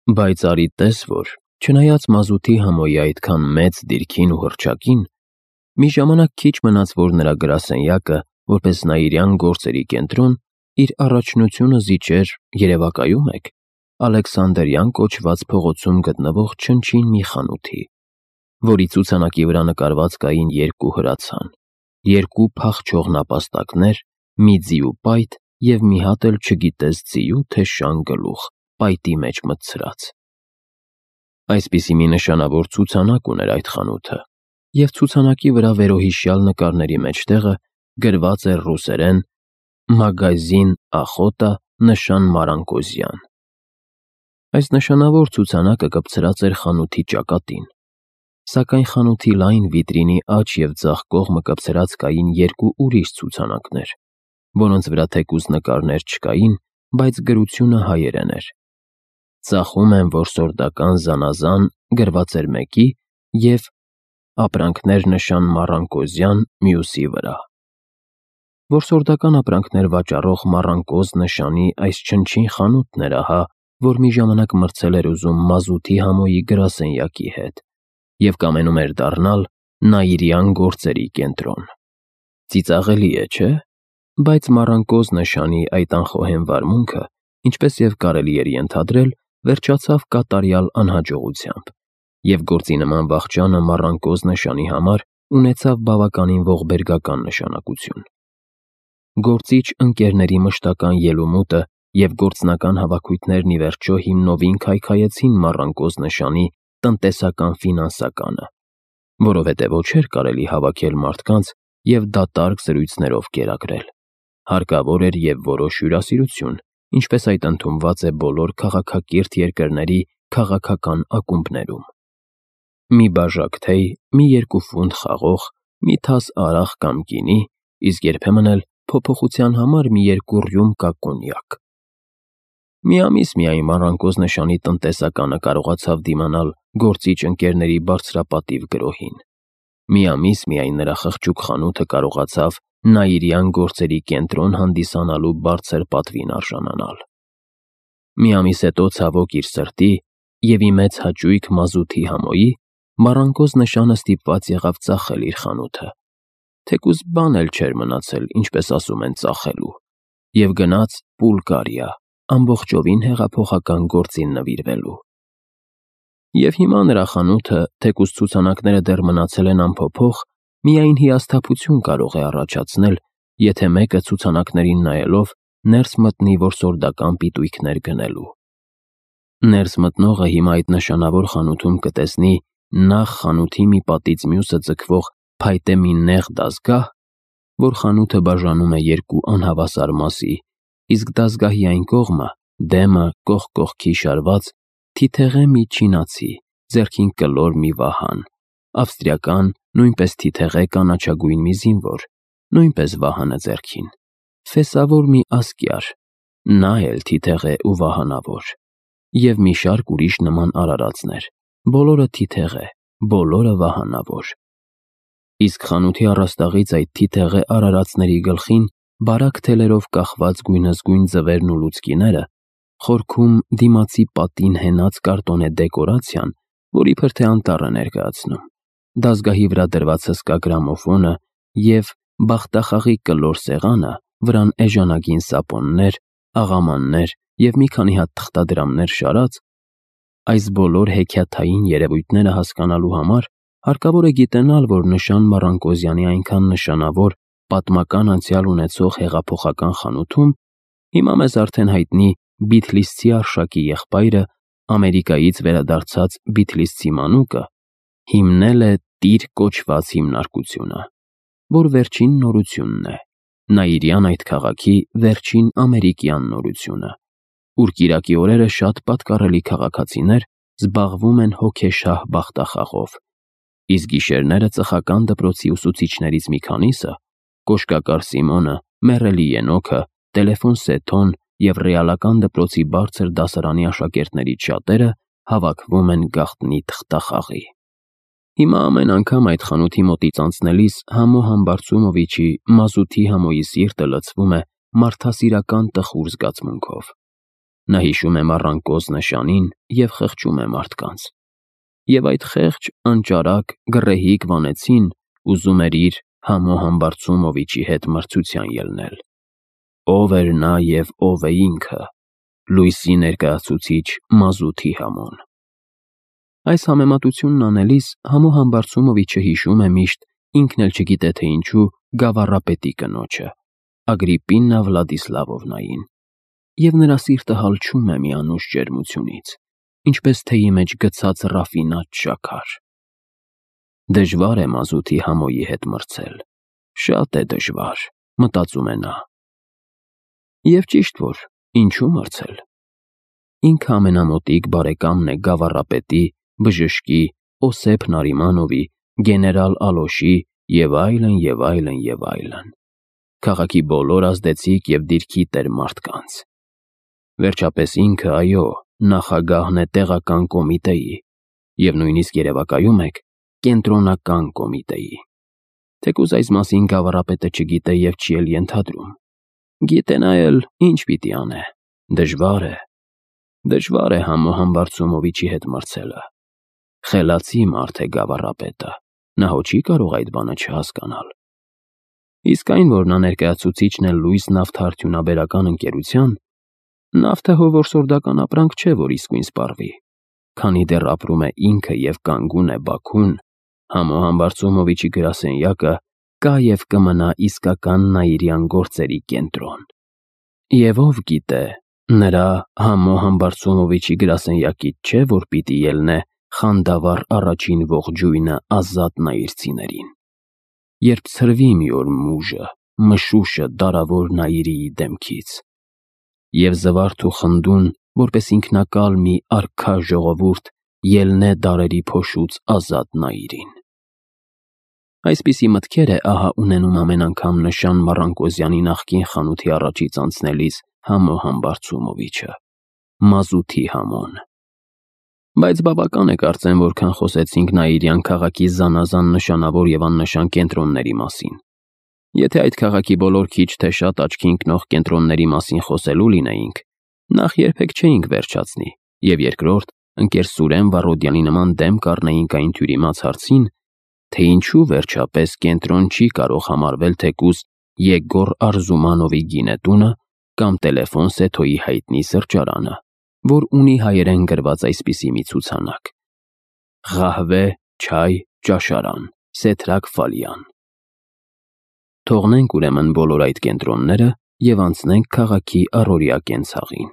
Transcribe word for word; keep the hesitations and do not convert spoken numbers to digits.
Բայց արի տես, որ չնայած մազութի համոյի այդքան մեծ դիրքին ու հռչակին, մի ժամանակ քիչ մնաց, որ նրա գրասենյակը, որպես Նաիրյան գործերի կենտրոն, իր առաջնությունը զիջեր, երևակայում եք, Ալեքսանդրյան կոչված փողոցում գտնվող չնչին մի խանութի, որի ցուցանակի վրա նկարված կային երկու հրացան, երկու փախչող նապաստակներ, մի ձիու պայտ և մի հատ էլ չգիտես ձիու, թե շան գլուխ, պայտի մեջ մտցրած։ Այսպիսի մի նշանավոր ցուցանակ ուներ այդ խանութը, և ցուցանակի վրա վերոհիշյալ նկարների մեջտեղը գրված էր ռուսերեն «Մագազին Ախոտա, նշան Մարանկոզյան»։ Այս նշանավոր ցուցանակը կպցրած էր խանութի ճակատին, սակայն խանութի լայն վիտրինի աջ և ձախ կողմը կպցրած կային երկու ուրիշ ցուցանակներ, որոնց վրա թեկուզ նկարներ չկային, բայց գրությունը հայերեն էր։ Ծախում եմ որսորդական զանազան գրված էր մեկի և ապրանքներ նշան Մառանկոզյան մյուսի վրա։ Որսորդական ապրանքներ վաճառող Մառանկոզ նշանի այս չնչին խանութն էր ահա, որ մի ժամանակ մրցել էր ուզում մազութի համոյի գրասենյակի հետ և կամենում էր դառնալ Նաիրյան գործերի կենտրոն։ Ծիծաղելի է, չէ՞։ Բայց Մառանկոզ նշանի այդ անխոհեմ վարմունքը, ինչպես և կարելի էր ենթադրել, վերջացավ կատարյալ անհաջողությամբ, և գործի նման վախճանը Մառանկոզ նշանի համար ունեցավ բավականին ողբերգական նշանակություն։ Գործիչ ընկերների մշտական ելումուտը և գործնական հավաքույթներն ի վերջո հիմնովին քայքայեցին Մառանկոզ նշանի տնտեսական ֆինանսականը, որովհետև ոչ էր կարելի հավաքել մարդկանց և դատարկ զրույցներով կերակրել։ Հարկավոր էր և որոշ հյուրասիրություն, ինչպես այդ ընդունված է բոլոր քաղաքակիրթ երկրների քաղաքական ակումբներում։ Մի բաժակ թեյ, մի երկու ֆունտ խաղող, մի թաս արախ կամ գինի, իսկ երբեմն էլ փոփոխության համար մի երկու ռյում կա կոնյակ։ Մի ամիս միայն Մառանկոզ նշանի տնտեսականը կարողացավ դիմանալ գործիչ ընկերների բարձրապատիվ գրոհին։ Մի ամիս միայն նրա խղճուկ խանութը կարողացավ Նաիրյան գործերի կենտրոն հանդիսանալու բարձր պատվին արժանանալ։ Մի ամիս հետո, ցավոք իր սրտի և ի մեծ հաճույք մազութի համոյի, Մառանկոզ նշանը ստիպված եղավ ծախել իր խանութը, թեկուզ բան էլ չէր մնացել, ինչպես ասում են, ծախելու, և գնաց Պուլգարիա, ամբողջովին հեղափոխական գործին նվիրվելու։ Եվ հիմա նրա խանութը, թեկուզ ցուցանակները դեռ մնացել են անփոփոխ, միայն հիասթափություն կարող է առաջացնել, եթե մեկը ցուցանակներին նայելով ներս մտնի որսորդական պիտույքներ գնելու։ Ներս մտնողը հիմա այդ նշանավոր խանութում կտեսնի նախ խանութի մի պատից մյուսը ձգվող փայտե մի նեղ դազգահ, որ խանութը բաժանում է երկու անհավասար մասի, իսկ դազգահի այն կողմը, դեմը կողք կողքի շարված, թիթեղե մի չինացի, ձեռքին կլոր մի վահան, ավստրիական, նույնպես թիթեղե կանաչագույն մի զինվոր, նույնպես վահանը ձեռքին, ֆեսավոր մի ասկյար, նա էլ թիթեղե ու վահանավոր, և մի շարք ուրիշ նման արարածներ, բոլորը թիթեղե, բոլորը վահանավոր։ Իսկ խանութի առաստաղից այդ թիթեղե արարածների գլխին բարակ թելերով կախված գույնզգույն ձվերն ու լուցկիները, խորքում դիմացի պատին հենած կարտոնե դեկորացիան, որ իբր թե անտառ է ներկայացնում, դազգահի վրա դրված հսկա գրամոֆոնը և բախտախաղի կլոր սեղանը, վրան էժանագին սապոններ, աղամաններ և մի քանի հատ թղթադրամներ շարած, այս բոլոր հեքիաթային երևույթները հասկանալու համար հարկավոր է գիտենալ, որ նշան Մառանկոզյանի այնքան նշանավոր պատմական անցյալ ունեցող հեղափոխական խանութում հիմա մեզ արդեն հայտնի բիթլիսցի Արշակի եղբայրը, Ամերիկայից վերադարձած բիթլիսցի մանուկը, հիմնել է տիր կոչված հիմնարկությունը, որ վերջին նորությունն է, Նաիրյան այդ քաղաքի վերջին ամերիկյան նորությունը, ուր կիրակի օրերը շատ պատկառելի քաղաքացիներ զբաղվում են հոգեշահ բախտախաղով, իսկ գիշերները ծխական դպրոցի ուսուցիչներից մի քանիսը, Կոշկակար Սիմոնը, Մեռելի Ենոքը, Տելեֆոն Սեթոն և Ռեալական դպրոցի բարձր դասարանի աշակերտներից շատերը հավաքվում են գաղտնի թղթախաղի։ Հիմա ամեն անգամ այդ խանութի մոտից անցնելիս Համո Համբարձումովիչի մազութի համոյի սիրտը լցվում է մարդասիրական տխուր զգացմունքով։ Նա հիշում է մառանկոզ նշանին և խղճում է մարդկանց։ Եվ այդ խեղճ, անճարակ, գռեհիկ վանեցին ուզում էր իր Համո Համբարձումովիչի հետ մրցության ելնել։ Ով էր նա և ով է ինքը, լույսի ներկայացուցիչ Մազութի Համոն։ Այս համեմատությունն անելիս Համո Համբարձումովիչը հիշում է միշտ, ինքն էլ չգիտե թե ինչու, գավառապետի կնոջը, Ագրիպիննա Վլադիսլավովնային, և նրա սիրտը հալչում է մի անուշ ջերմությունից, ինչպես թեյի մեջ գցած ռաֆինատ շաքար։ Դժվար է Մազութի Համոյի հետ մրցել, շատ է դժվար, մտածում է նա։ Եվ ճիշտ որ, ինչու մրցել։ Ինքը ամենամոտիկ բարեկամն է գավառապետի, բժշկի, Օսեփ Նարիմանովի, գեներալ Ալոշի և այլն, և այլն, և այլն, քաղաքի բոլոր ազդեցիկ և դիրքի տեր մարդկանց։ Վերջապես ինքը, այո, նախագահն է տեղական կոմիտեի և նույնիսկ երևակայում եք կենտրոնական կոմիտեի։ Թեկուզ այս մասին գավառապետը չգիտե և չի էլ ենթադրում։ Գիտենա էլ ինչ պիտի անե։ Դժվար է, դժվար է Համո Համբարձումովիչի հետ մրցելը։ Խելացի մարդ է գավառապետը, նա հո չի կարող այդ բանը չհասկանալ։ Իսկ այն, որ նա ներկայացուցիչն է լույս նավթարդյունաբերական ընկերության, նավթը հո որսորդական ապրանք չէ, որ իսկույն սպառվի։ Քանի դեռ ապրում է ինքը և կանգուն է Բաքուն, Համո Համբարձումովիչի գրասենյակը կա և կմնա իսկական նաիրյան գործերի կենտրոն։ Եվ ով գիտե, նրա Համո Համբարձումովիչի գրասենյակից չէ, որ պիտի ելնե խանդավառ առաջին ողջույնը ազատ նայիրցիներին, երբ ցրվի մի օր մուժը, մշուշը դարավոր Նաիրիի դեմքից, և զվարթ ու խնդուն, որպես ինքնակալ մի արքա ժողովուրդ ելնե դարերի փոշուց ազատ Նաիրին։ Այսպիսի մտքեր է ահա ունենում ամեն անգամ նշան Մառանկոզյանի նախկին խանութի առաջից անցնելիս Համո Համբարձումովիչը, Մազութի Համոն։ Բայց բավական է կարծեմ, որքան խոսեցինք Նաիրյան քաղաքի զանազան նշանավոր և աննշան կենտրոնների մասին։ Եթե այդ քաղաքի բոլոր քիչ թե շատ աչքի ընկնող կենտրոնների մասին խոսելու լինեինք, նախ երբեք չէինք վերջացնի, և երկրորդ, ընկեր Սուրեն Վառոդյանի նման դեմ կառնեինք այն թյուրիմաց հարցին, թե ինչու վերջապես կենտրոն չի կարող համարվել թեկուզ Եգոր Արզումանովի գինետունը կամ Տելեֆոն Սեթոյի հայտնի սրճարանը, որ ունի հայերեն գրված այսպիսի մի ցուցանակ՝ «Ղահվե, չայ, ճաշարան, Սեթրակ Ֆալյան»։ Թողնենք ուրեմն բոլոր այդ կենտրոնները և անցնենք քաղաքի առօրյա կենցաղին։